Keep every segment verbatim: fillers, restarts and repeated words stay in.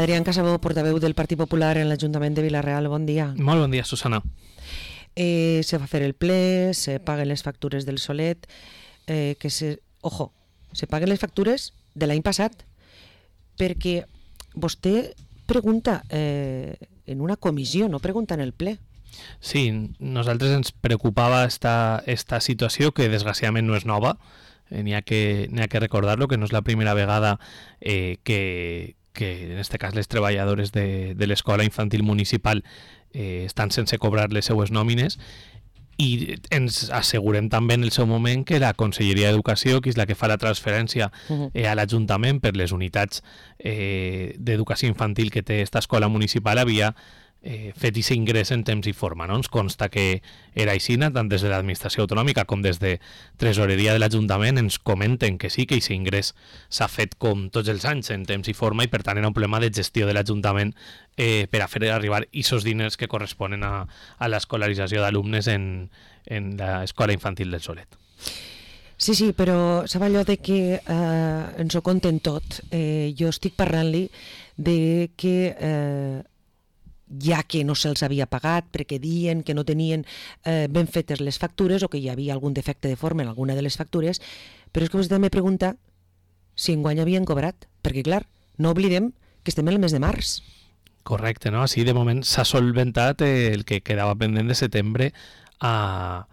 Adrián Casabó, portaveu del Partit Popular en l'Ajuntament de Vila-real, bon dia. Molt bon dia, Susana. Eh, se va fer el ple, se paguen les factures del Solet, eh, que se... Ojo, se paguen les factures de l'any passat, perquè vostè pregunta eh, en una comissió, no pregunta en el ple. Sí, nosaltres ens preocupava esta, esta situació, que desgraciadament no és nova, eh, n'hi ha que, n'hi ha que recordar-lo, que no és la primera vegada eh, que, que en este cas les treballadores de, de l'escola infantil municipal eh, estan sense cobrar les seues nòmines, i ens assegurem també en el seu moment que la Conselleria d'Educació, que és la que fa la transferència eh, a l'Ajuntament per les unitats eh, d'educació infantil que té esta escola municipal, havia eh, fet aquest ingrés en temps i forma. No? Ens consta que era així, tant des de l'administració autonòmica com des de tresoreria de l'Ajuntament ens comenten que sí, que aquest ingrés s'ha fet com tots els anys en temps i forma, i per tant era un problema de gestió de l'Ajuntament eh, per a fer arribar aquests diners que corresponen a, a l'escolarització d'alumnes en, en l'escola infantil del Solet. Sí, sí, però sap allò de que eh, ens ho conten tot. Eh, jo estic parlant-li de que eh, ja que no se'ls havia pagat perquè diuen que no tenien eh, ben fetes les factures o que hi havia algun defecte de forma en alguna de les factures, però és que vostè me pregunta si enguany havien cobrat, perquè clar, no oblidem que estem en el mes de març. Correcte, no? Així de moment s'ha solventat el que quedava pendent de setembre a,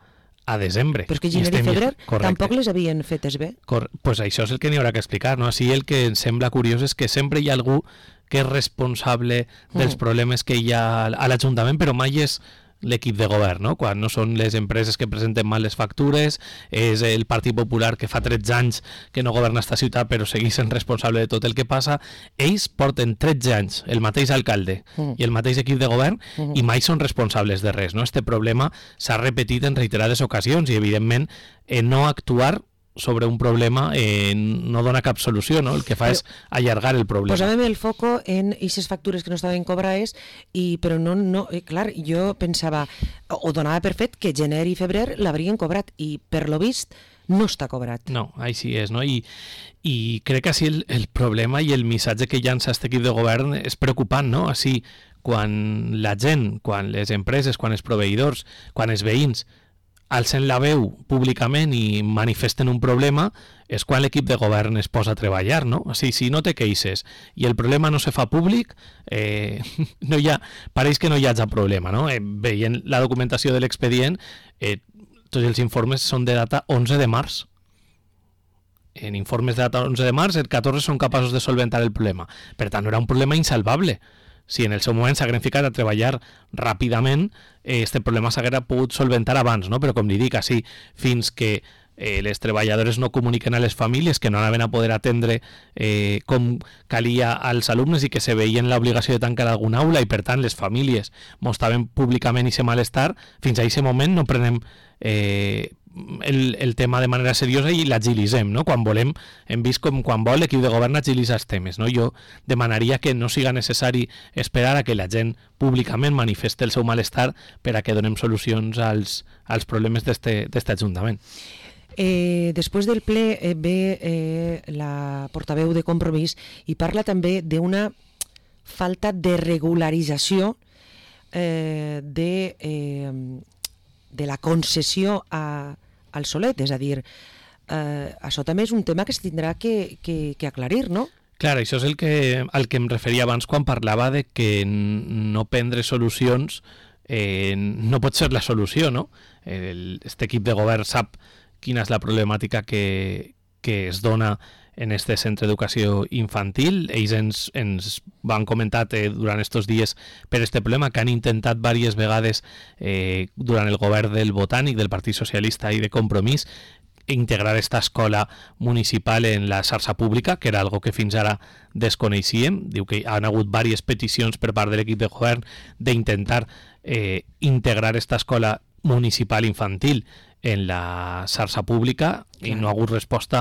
a desembre. Però és que gener i febrer tampoc les havien fetes bé. Cor pues això és el que n'hi haurà que explicar, no? Així el que ens sembla curiós és que sempre hi ha algú que és responsable dels mm. problemes que hi ha a l'Ajuntament, però mai és l'equip de govern, no? Quan no són les empreses que presenten mal les factures, és el Partit Popular que fa tretze anys que no governa esta ciutat però segueix sent responsable de tot el que passa. Ells porten tretze anys, el mateix alcalde mm. i el mateix equip de govern, mm. i mai són responsables de res, no? Este problema s'ha repetit en reiterades ocasions i evidentment eh, no actuar sobre un problema eh, no dona cap solució, no? El que fa però, és allargar el problema. Posàvem el foco en aquestes factures que no estaven cobrades, i, però no, no, eh, clar, jo pensava, o donava per fet que gener i febrer l'haurien cobrat, i per lo vist no està cobrat. No, així és, no? I, i crec que així el, el problema i el missatge que llança aquest equip de govern és preocupant, no? Així, quan la gent, quan les empreses, quan els proveïdors, quan els veïns alcen la veu públicament i manifesten un problema, és quan l'equip de govern es posa a treballar, no? O sigui, si no te queixes i el problema no se fa públic, eh, no hi ha, pareix que no hi hagi problema, no? Eh, veient la documentació de l'expedient, eh, tots els informes són de data onze de març. En informes de data onze de març, el catorze són capaços de solventar el problema. Per tant, no era un problema insalvable. Si en el seu moment s'hagueren ficat a treballar ràpidament, eh, este problema s'haguera pogut solventar abans, no? Però com li dic, així, fins que eh, les treballadores no comuniquen a les famílies que no anaven a poder atendre eh, com calia als alumnes i que se veien l'obligació de tancar alguna aula, i per tant les famílies mostraven públicament aquest malestar, fins a aquest moment no prenem eh, el, el tema de manera seriosa i l'agilitzem, no? Quan volem, hem vist com quan vol l'equip de govern agilitza els temes, no? Jo demanaria que no siga necessari esperar a que la gent públicament manifeste el seu malestar per a que donem solucions als, als problemes d'este Ajuntament. Eh, després del ple eh, ve eh, la portaveu de Compromís i parla també d'una falta de regularització eh, de, eh, de la concessió a al Solet, és a dir, eh, això també és un tema que es tindrà que, que, que aclarir, no? Clar, això és el que, al que em referia abans quan parlava de que no prendre solucions eh, no pot ser la solució, no? El, este equip de govern sap quina és la problemàtica que, que es dona en este centre d'educació infantil. Ells ens, ens van comentar eh, durant estos dies per este problema, que han intentat diverses vegades eh, durant el govern del Botànic, del Partit Socialista i de Compromís, integrar esta escola municipal en la xarxa pública, que era algo que fins ara desconeixíem. Diu que han hagut diverses peticions per part de l'equip de govern d'intentar eh, integrar esta escola municipal infantil en la xarxa pública, i no ha hagut resposta,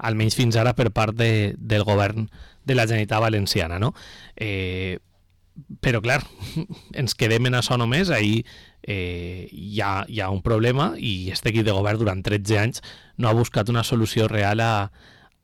almenys fins ara, per part de, del govern de la Generalitat Valenciana, no? Eh, però, clar, ens quedem en això només. Ahir eh, hi, ha, hi ha un problema i aquest equip de govern durant tretze anys no ha buscat una solució real a,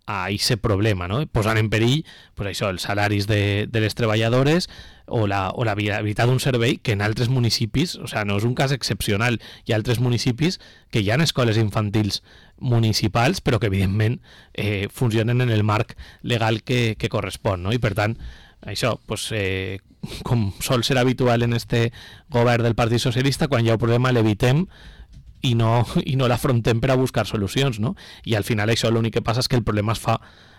a aquest problema, no? Posant en perill pues això, els salaris de, de les treballadores o la, o la viabilitat d'un servei que en altres municipis, o sigui, no és un cas excepcional, hi ha altres municipis que hi ha escoles infantils municipals, però que evidentment eh, funcionen en el marc legal que, que correspon, no? I per tant, això, pues, eh, com sol ser habitual en este govern del Partit Socialista, quan hi ha un problema l'evitem i no, i no l'afrontem per a buscar solucions, no? I al final això l'únic que passa és que el problema es fa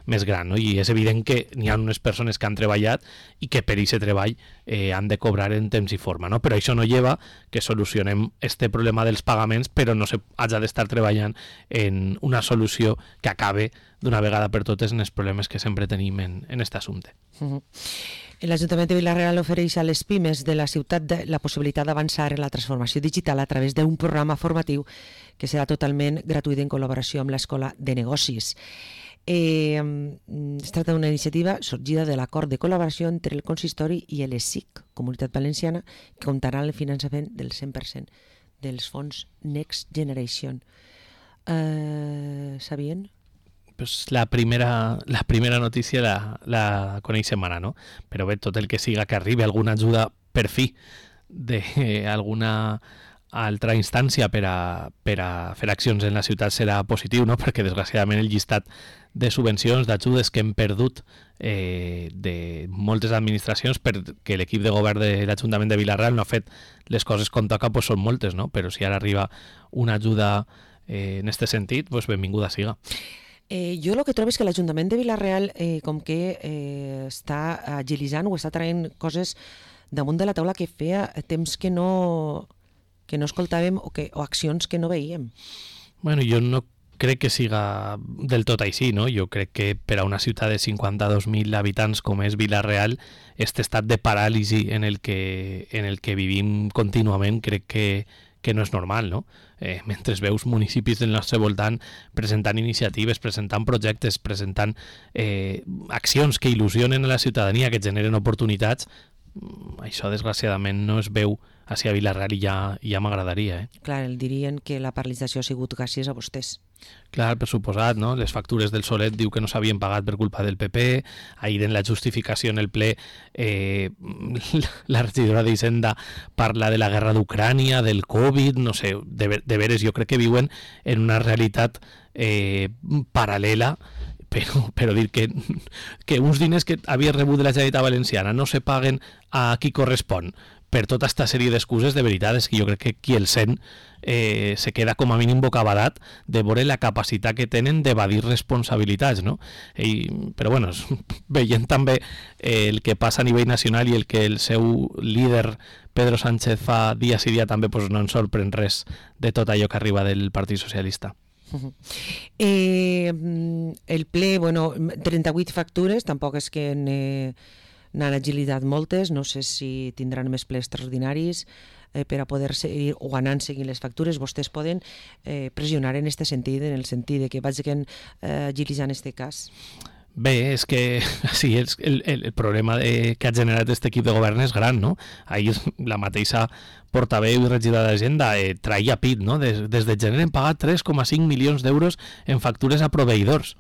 més gran, no? I és evident que n'hi ha unes persones que han treballat i que per aquest treball eh, han de cobrar en temps i forma, no? Però això no lleva que solucionem este problema dels pagaments, però no se haja d'estar treballant en una solució que acabe d'una vegada per totes en els problemes que sempre tenim en, en aquest assumpte. Uh-huh. L'Ajuntament de Vila-real ofereix a les pimes de la ciutat de la possibilitat d'avançar en la transformació digital a través d'un programa formatiu que serà totalment gratuït en col·laboració amb l'Escola de Negocis. Eh, es tracta d'una iniciativa sorgida de l'acord de col·laboració entre el consistori i l'E S I C, Comunitat Valenciana, que comptarà amb el finançament del cent per cent dels fons Next Generation. Eh, sabien? Pues la primera, la primera notícia la, la coneixem ara, no? Però bé, tot el que siga que arribi alguna ajuda per fi d'alguna altra instància per a, per a fer accions en la ciutat serà positiu, no? Perquè desgraciadament el llistat de subvencions, d'ajudes que hem perdut eh, de moltes administracions perquè l'equip de govern de l'Ajuntament de Vila-real no ha fet les coses com toca, pues són moltes, no? Però si ara arriba una ajuda eh, en aquest sentit, pues benvinguda siga. Eh, jo el que trobo és que l'Ajuntament de Vila-real eh, com que eh, està agilitzant o està traient coses damunt de la taula que feia temps que no, que no escoltàvem o, que, o accions que no veiem. Bueno, jo no crec que siga del tot així, no? Jo crec que per a una ciutat de cinquanta-dos mil habitants com és Vila-real, aquest estat de paràlisi en el que, en el que vivim contínuament crec que que no és normal, no? Eh, mentre veus municipis del nostre voltant presentant iniciatives, presentant projectes, presentant eh, accions que il·lusionen a la ciutadania, que generen oportunitats, això desgraciadament no es veu a Vila-real i ja, ja m'agradaria. Eh? Clar, el dirien que la paralització ha sigut gràcies a vostès. Clar, per suposat, no? Les factures del Solet diu que no s'havien pagat per culpa del P P, ahir en la justificació en el ple eh, la regidora d'Hisenda parla de la guerra d'Ucrània, del Covid, no sé, de, de veres jo crec que viuen en una realitat eh, paral·lela, però, però dir que, que uns diners que havia rebut de la Generalitat Valenciana no se paguen a qui correspon per tota aquesta sèrie d'excuses, de veritat és que jo crec que qui el sent eh, se queda com a mínim bocabadat de veure la capacitat que tenen d'evadir responsabilitats, no? I, però bueno, veient també eh, el que passa a nivell nacional i el que el seu líder Pedro Sánchez fa dia sí dia també, pues no ens sorprèn res de tot allò que arriba del Partit Socialista. Uh-huh. Eh, el ple, bueno, trenta-vuit factures, tampoc és que n'he n'han agilitat moltes, no sé si tindran més plens extraordinaris eh, per a poder seguir o anant seguint les factures. Vostès poden eh, pressionar en aquest sentit, en el sentit de que vagin eh, agilitzant aquest cas. Bé, és que sí, el, el, el problema de, que ha generat aquest equip de govern és gran, no? Ahir la mateixa portaveu i regidora d'Hisenda eh, traia pit, no? Des, des de gener hem pagat tres coma cinc milions d'euros en factures a proveïdors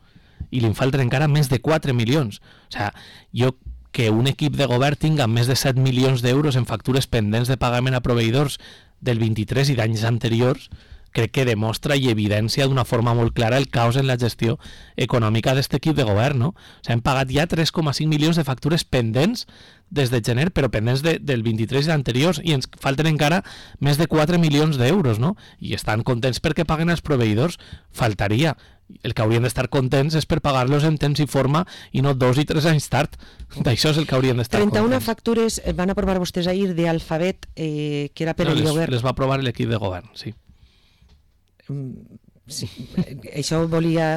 i li falten encara més de quatre milions. O sigui, jo que un equip de govern tinga més de set milions d'euros en factures pendents de pagament a proveïdors del vint-i-tres i d'anys anteriors, crec que demostra i evidencia d'una forma molt clara el caos en la gestió econòmica d'aquest equip de govern, no? O sigui, hem pagat ja tres coma cinc milions de factures pendents des de gener, però pendents de, del vint-i-tres i anteriors, i ens falten encara més de quatre milions d'euros, no? I estan contents perquè paguen els proveïdors, faltaria. El que haurien d'estar contents és per pagar-los en temps i forma i no dos i tres anys tard. D'això és el que haurien d'estar contents. trenta-una factures van aprovar vostès ahir d'Alfabet, eh, que era per no, el les, lloguer. Les va aprovar l'equip de govern, sí. Sí, això volia...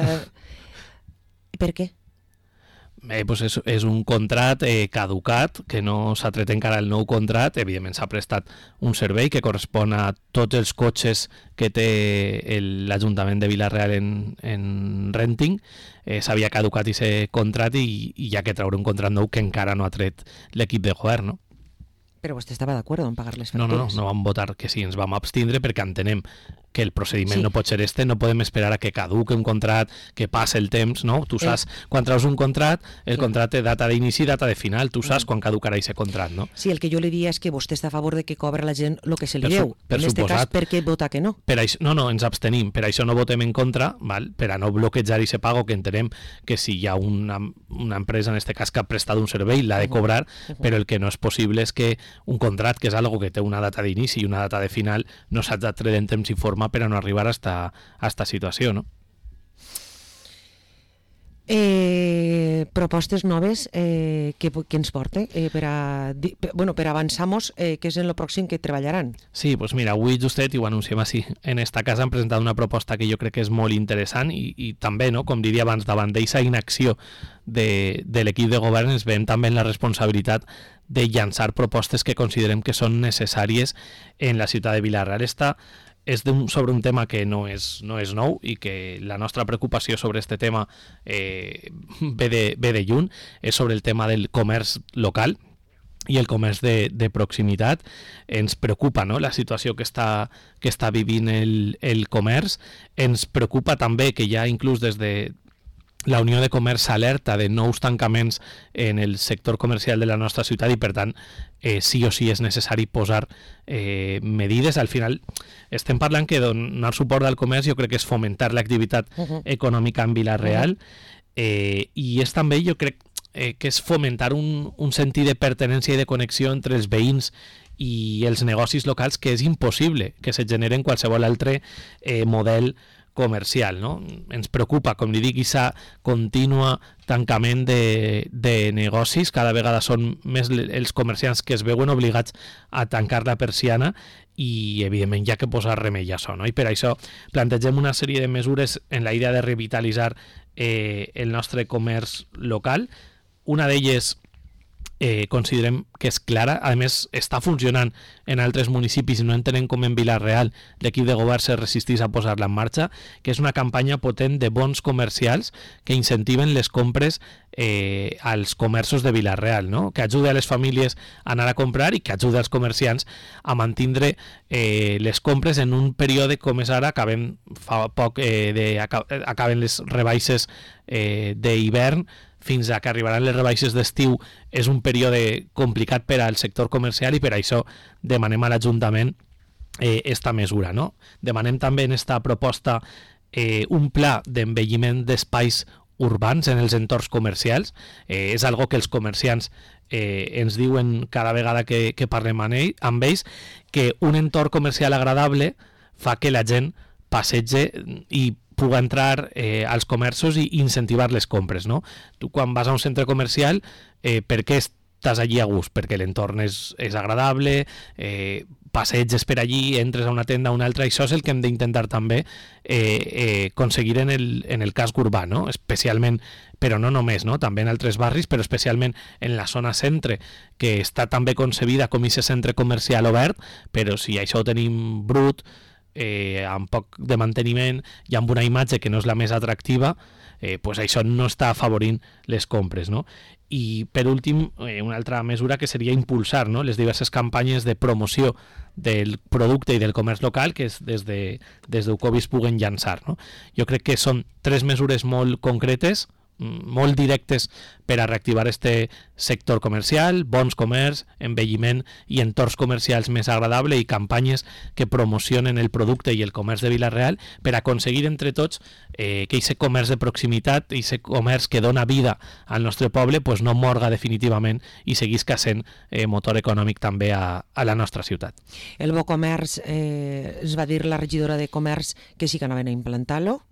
Per què? Eh, pues és, és un contrat eh, caducat, que no s'ha tret encara el nou contrat. Evidentment s'ha prestat un servei que correspon a tots els cotxes que té l'Ajuntament de Vila-real en, en renting. Eh, s'havia caducat aquest contrat i, i hi ha que treure un contrat nou que encara no ha tret l'equip de govern, no? Però vostè estava d'acord en pagar les No, factures? no, no, no vam votar que sí, ens vam abstindre perquè entenem que el procediment Sí. no pot ser este, no podem esperar a que caduque un contrat, que passe el temps, no? Tu saps, Eh. quan treus un contrat, el Sí. contrat té data d'inici i data de final, tu saps Mm. quan caducarà aquest contrat, no? Sí, el que jo li diria és que vostè està a favor de que cobra la gent el que se li Per su- deu. per En aquest cas, suposat. per què vota que no? Per això, no, no, ens abstenim, per això no votem en contra, val? Per a no bloquejar i se pago, que entenem que si hi ha una, una empresa, en aquest cas, que ha prestat un servei, l'ha de cobrar, Uh-huh. però el que no és possible és que un contrat, que és algo que té una data d'inici i una data de final, no s'ha de treure en temps i forma per a no arribar a esta, a esta situació, no? Eh, propostes noves eh, que, que ens porte eh, per, a, di- per, bueno, per avançar-nos eh, que és en el pròxim que treballaran. Sí, doncs mira, avui justet, i ho anunciem així, en esta casa han presentat una proposta que jo crec que és molt interessant i, i també, no, com diria abans, davant d'aquesta inacció de, de l'equip de govern ens veiem també en la responsabilitat de llançar propostes que considerem que són necessàries en la ciutat de Vila-real. Esta és un, sobre un tema que no és, no és nou i que la nostra preocupació sobre este tema eh, ve, de, ve de lluny, és sobre el tema del comerç local i el comerç de, de proximitat. Ens preocupa, no?, la situació que està, que està vivint el, el comerç. Ens preocupa també que ja inclús des de la Unió de Comerç alerta de nous tancaments en el sector comercial de la nostra ciutat i, per tant, eh, sí o sí és necessari posar eh, medides. Al final, estem parlant que donar suport al comerç jo crec que és fomentar l'activitat Uh-huh. econòmica en Vila-real eh, i és també, jo crec, eh, que és fomentar un, un sentit de pertinença i de connexió entre els veïns i els negocis locals que és impossible que se genere en qualsevol altre eh, model comercial, no? Ens preocupa, com li dic, aquesta contínua tancament de, de negocis. Cada vegada són més els comerciants que es veuen obligats a tancar la persiana i, evidentment, hi ha que posar remei a això, no? I per això plantegem una sèrie de mesures en la idea de revitalitzar eh, el nostre comerç local. Una d'elles eh, considerem que és clara, a més està funcionant en altres municipis i no entenem com en Vila-real l'equip de govern se resistís a posar-la en marxa, que és una campanya potent de bons comercials que incentiven les compres eh, als comerços de Vila-real, no? Que ajude a les famílies a anar a comprar i que ajude als comerciants a mantindre eh, les compres en un període com és ara, acabem fa poc eh, de, acaben les rebaixes eh, d'hivern, fins a que arribaran les rebaixes d'estiu. És un període complicat per al sector comercial i per això demanem a l'Ajuntament eh, esta mesura, no? Demanem també en esta proposta eh, un pla d'envelliment d'espais urbans en els entorns comercials. Eh, és algo que els comerciants eh, ens diuen cada vegada que, que parlem amb, ell, amb ells, que un entorn comercial agradable fa que la gent passege i puga entrar eh, als comerços i incentivar les compres, no? Tu quan vas a un centre comercial, eh, per què estàs allí a gust? Perquè l'entorn és, és agradable, eh, passeges per allí, entres a una tenda a una altra, i això és el que hem d'intentar també eh, eh, aconseguir en el, en el casc urbà, no? Especialment, però no només, no? També en altres barris, però especialment en la zona centre, que està també concebida com aquest centre comercial obert, però si això ho tenim brut, Eh, amb poc de manteniment i amb una imatge que no és la més atractiva, eh, pues això no està afavorint les compres, no? I per últim, eh, una altra mesura que seria impulsar, no?, les diverses campanyes de promoció del producte i del comerç local que és des de des d'Ucovis puguen llançar, no? Jo crec que són tres mesures molt concretes, molt directes per a reactivar este sector comercial, bons comerç, envelliment i entorns comercials més agradables i campanyes que promocionen el producte i el comerç de Vila-real per aconseguir entre tots eh, que aquest comerç de proximitat, aquest comerç que dona vida al nostre poble, pues no morga definitivament i seguisca sent eh, motor econòmic també a, a la nostra ciutat. El Bo Comerç, eh, es va dir la regidora de Comerç que sí que anaven a implantar-lo.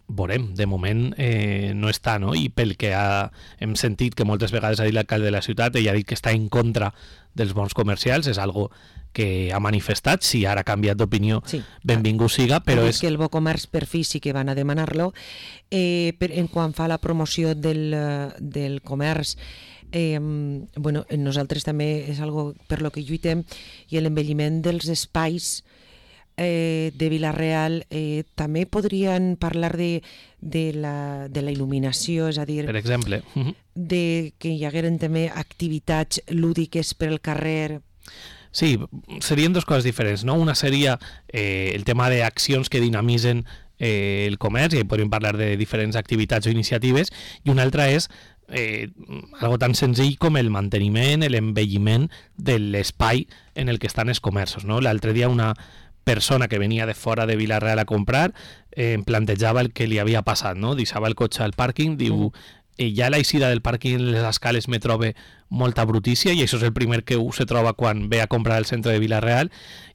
Veurem, de moment eh, no està, no? I pel que ha, hem sentit que moltes vegades ha dit l'alcalde de la ciutat, ell ha dit que està en contra dels bons comercials, és algo que ha manifestat, si ara ha canviat d'opinió, sí, benvingut siga, però és... que el Bo Comerç per fi sí que van a demanar-lo. Eh, per, en quant fa la promoció del, del comerç, eh, bueno, nosaltres també és algo per lo que lluitem, i l'envelliment dels espais Eh, de Vila-real, eh, també podrien parlar de, de, la, de la il·luminació, és a dir, per exemple, de que hi hagueren també activitats lúdiques per al carrer. Sí, serien dues coses diferents, no? Una seria eh, el tema d'accions que dinamitzen eh, el comerç, i podríem parlar de diferents activitats o iniciatives, i una altra és eh, algo tan senzill com el manteniment, l'envelliment de l'espai en el que estan els comerços, no? L'altre dia una persona que venia de fora de Vila-real a comprar eh, em plantejava el que li havia passat, no? Deixava el cotxe al pàrquing, diu... I ja a l'eixida del pàrquing en les escales me trobe molta brutícia, i això és el primer que se troba quan ve a comprar al centre de Vila-real,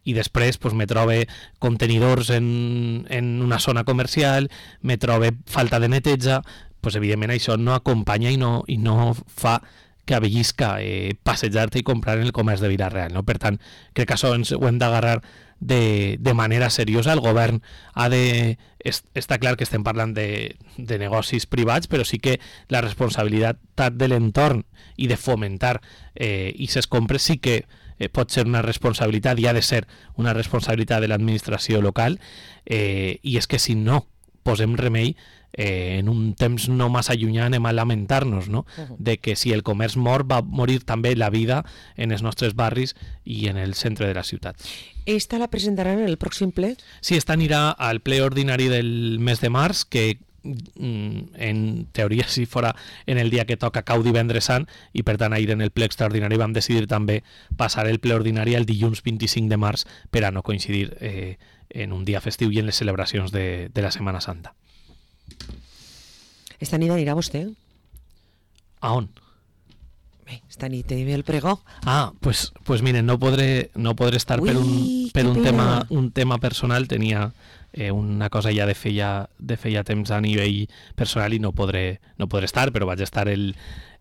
i després pues, me trobe contenidors en, en una zona comercial, me trobe falta de neteja, pues, evidentment això no acompanya i no, i no fa que avellisca eh, passejar-te i comprar en el comerç de Vila-real, no? Per tant, crec que això ens ho hem d'agarrar de, de manera seriosa. El govern ha de... Es, està clar que estem parlant de, de negocis privats, però sí que la responsabilitat de l'entorn i de fomentar eh, i ses compres sí que eh, pot ser una responsabilitat i ha de ser una responsabilitat de l'administració local, eh, i és que si no posem remei, eh, en un temps no massa llunyà anem a lamentar-nos, no? Uh-huh. De que si el comerç mor, va morir també la vida en els nostres barris i en el centre de la ciutat. Esta la presentaran en el pròxim ple? Sí, esta anirà al ple ordinari del mes de març, que en teoria si fora en el dia que toca cau divendres sant, i per tant ahir en el ple extraordinari vam decidir també passar el ple ordinari el dilluns vint-i-cinc de març per a no coincidir eh, en un dia festiu i en les celebracions de, de la Setmana Santa. Esta nit anirà vostè? A on? Bé, esta nit tenim el pregó. Ah, pues, pues miren, no podré, no podré estar Ui, per un, per un, tema, pena. un tema personal. Tenia eh, una cosa ja de feia, de feia temps a nivell personal i no podré, no podré estar, però vaig estar el,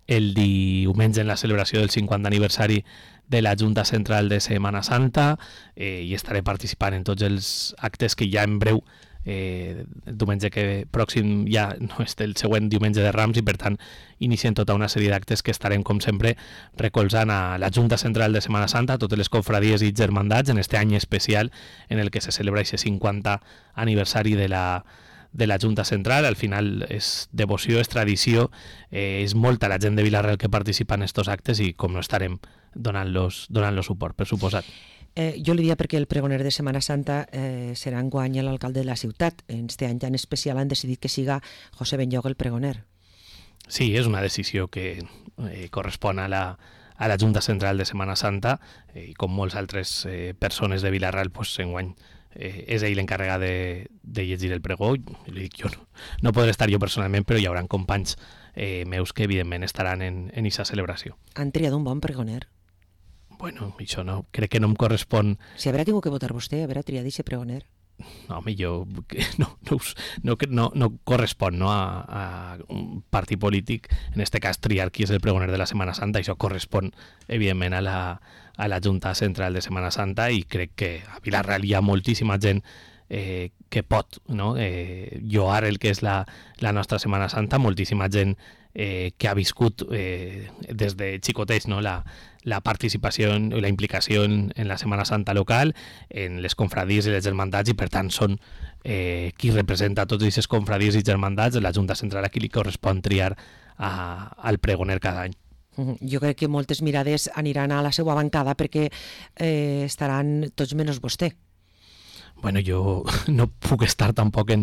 el diumenge en la celebració del cinquanta aniversari de la Junta Central de Setmana Santa, eh, i estaré participant en tots els actes que ja en breu, eh, el diumenge que pròxim ja no és el següent diumenge de Rams, i per tant iniciem tota una sèrie d'actes que estarem com sempre recolzant a la Junta Central de Setmana Santa, a totes les confradies i germandats en este any especial en el que se celebra aquest cinquanta aniversari de la de la Junta Central. Al final és devoció, és tradició, eh, és molta la gent de Vila-real que participa en estos actes i com no estarem donant-los donant-los suport, per suposat. Eh, jo li dia perquè el pregoner de Setmana Santa eh, serà enguany l'alcalde de la ciutat. En este any tan especial han decidit que siga José Benlloc el pregoner. Sí, és una decisió que eh, correspon a la, a la Junta Central de Setmana Santa, eh, i com molts altres eh, persones de Vila-real, pues, enguany eh, és ell l'encarregat de, de llegir el pregó. I li dic, jo no, no podré estar jo personalment, però hi haurà companys eh, meus que evidentment estaran en en aquesta celebració. Han triat un bon pregoner. Bueno, això no, crec que no em correspon. Si haurà tingut que votar vostè, haurà triat aquest pregoner. No, home, jo no, no, no, no, no correspon, no, a, a un partit polític, en este cas triar qui és el pregoner de la Setmana Santa. Això correspon evidentment a la, a la Junta Central de Setmana Santa, i crec que a Vila-real hi ha moltíssima gent eh, que pot, no, eh, lloar el que és la, la nostra Setmana Santa, moltíssima gent eh, que ha viscut eh, des de xicotets, no, la, la participació i la implicació en, en la Setmana Santa local, en les confradies i les germandats, i per tant són eh, qui representa tots aquestes confradies i germandats de la Junta Central, a qui li correspon triar a, al pregoner cada any. Jo crec que moltes mirades aniran a la seva bancada perquè eh, estaran tots menys vostè. Bueno, jo no puc estar tampoc en,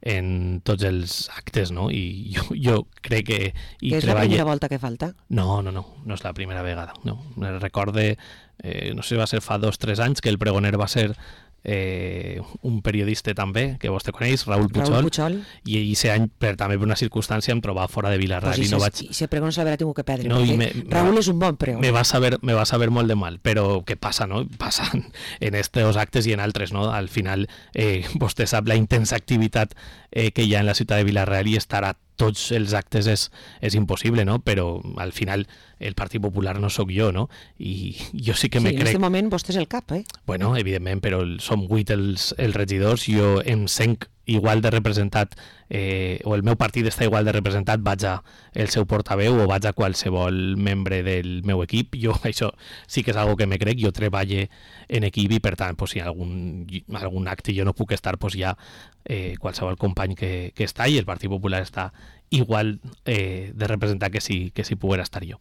en tots els actes, no? I jo, jo crec que... I que és treballe... la primera volta que falta? No, no, no, no és la primera vegada. No. Me recorde, eh, no sé si va ser fa dos o tres anys, que el pregoner va ser eh, un periodista també, que vostè coneix, Raúl Puchol, Raúl Puchol. i aquest any, per, també per una circumstància, em trobava fora de Vila-real. Pues i no vaig... I si el pregoner se l'haurà tingut que perdre, no, perquè me, Raúl me, és un bon pregoner. Me va saber, me va saber molt de mal, però què passa, no? Passa en estos actes i en altres, no? Al final, eh, vostè sap la intensa activitat eh, que hi ha en la ciutat de Vila-real, i estar a tots els actes és, és impossible, no? Però al final el Partit Popular no sóc jo, no? I jo sí que sí, me crec... crec... en aquest moment vostè és el cap, eh? Bueno, evidentment, però som vuit els, els regidors, jo em sent igual de representat, eh, o el meu partit està igual de representat, vaig a el seu portaveu o vaig a qualsevol membre del meu equip. Jo això sí que és algo que me crec, jo treballe en equip, i per tant, pues, si algun, algun acte jo no puc estar, pues, ja eh, qualsevol company que, que està, i el Partit Popular està igual eh, de representar que si, que si poguera estar jo.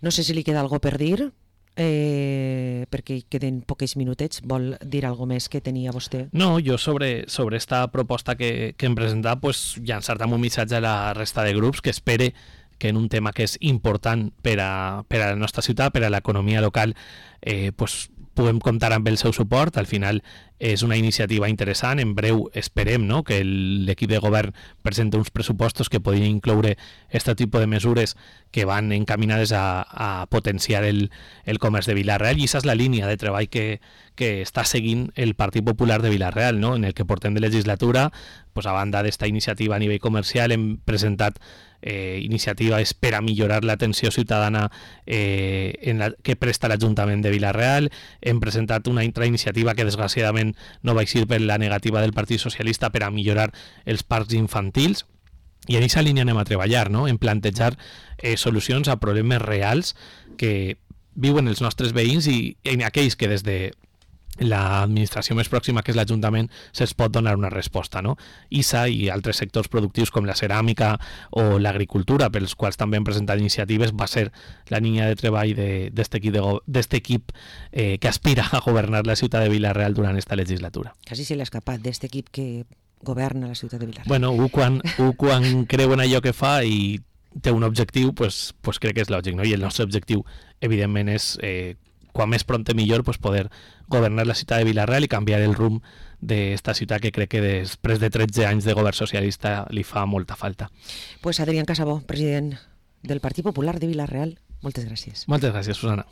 No sé si li queda algo per dir eh, perquè queden poquets minutets, vol dir alguna més que tenia vostè? No, jo sobre, sobre esta proposta que, que hem presentat, pues, llançar-te un missatge a la resta de grups que espere que en un tema que és important per a, per a la nostra ciutat, per a l'economia local, eh, pues, puguem comptar amb el seu suport. Al final és una iniciativa interessant. En breu esperem, no?, que l'equip de govern presenti uns pressupostos que podrien incloure aquest tipus de mesures que van encaminades a, a potenciar el, el comerç de Vila-real, i aquesta és la línia de treball que, que està seguint el Partit Popular de Vila-real, no?, en el que portem de legislatura. Pues, a banda d'esta iniciativa a nivell comercial, hem presentat eh, iniciatives per a millorar l'atenció ciutadana eh, en la, que presta l'Ajuntament de Vila-real. Hem presentat una altra iniciativa que desgraciadament no va eixir per la negativa del Partit Socialista per a millorar els parcs infantils, i en aquesta línia anem a treballar, no?, en plantejar eh, solucions a problemes reals que viuen els nostres veïns i en aquells que des de l'administració més pròxima, que és l'Ajuntament, se'ls pot donar una resposta, no? I essa i altres sectors productius com la ceràmica o l'agricultura, pels quals també hem presentat iniciatives, va ser la línia de treball d'aquest equip, de, equip eh, que aspira a governar la ciutat de Vila-real durant esta legislatura. Quasi se l'ha escapat d'aquest equip que governa la ciutat de Vila-real. Bueno, un quan, un quan creu en allò que fa i té un objectiu, pues, pues crec que és lògic, no? I el nostre objectiu, evidentment, és eh, quan més prompte millor, pues, poder governar la ciutat de Vila-real i canviar el rumb d'esta ciutat que crec que després de tretze anys de govern socialista li fa molta falta. Pues Adrián Casabó, president del Partit Popular de Vila-real, moltes gràcies. Moltes gràcies, Susana.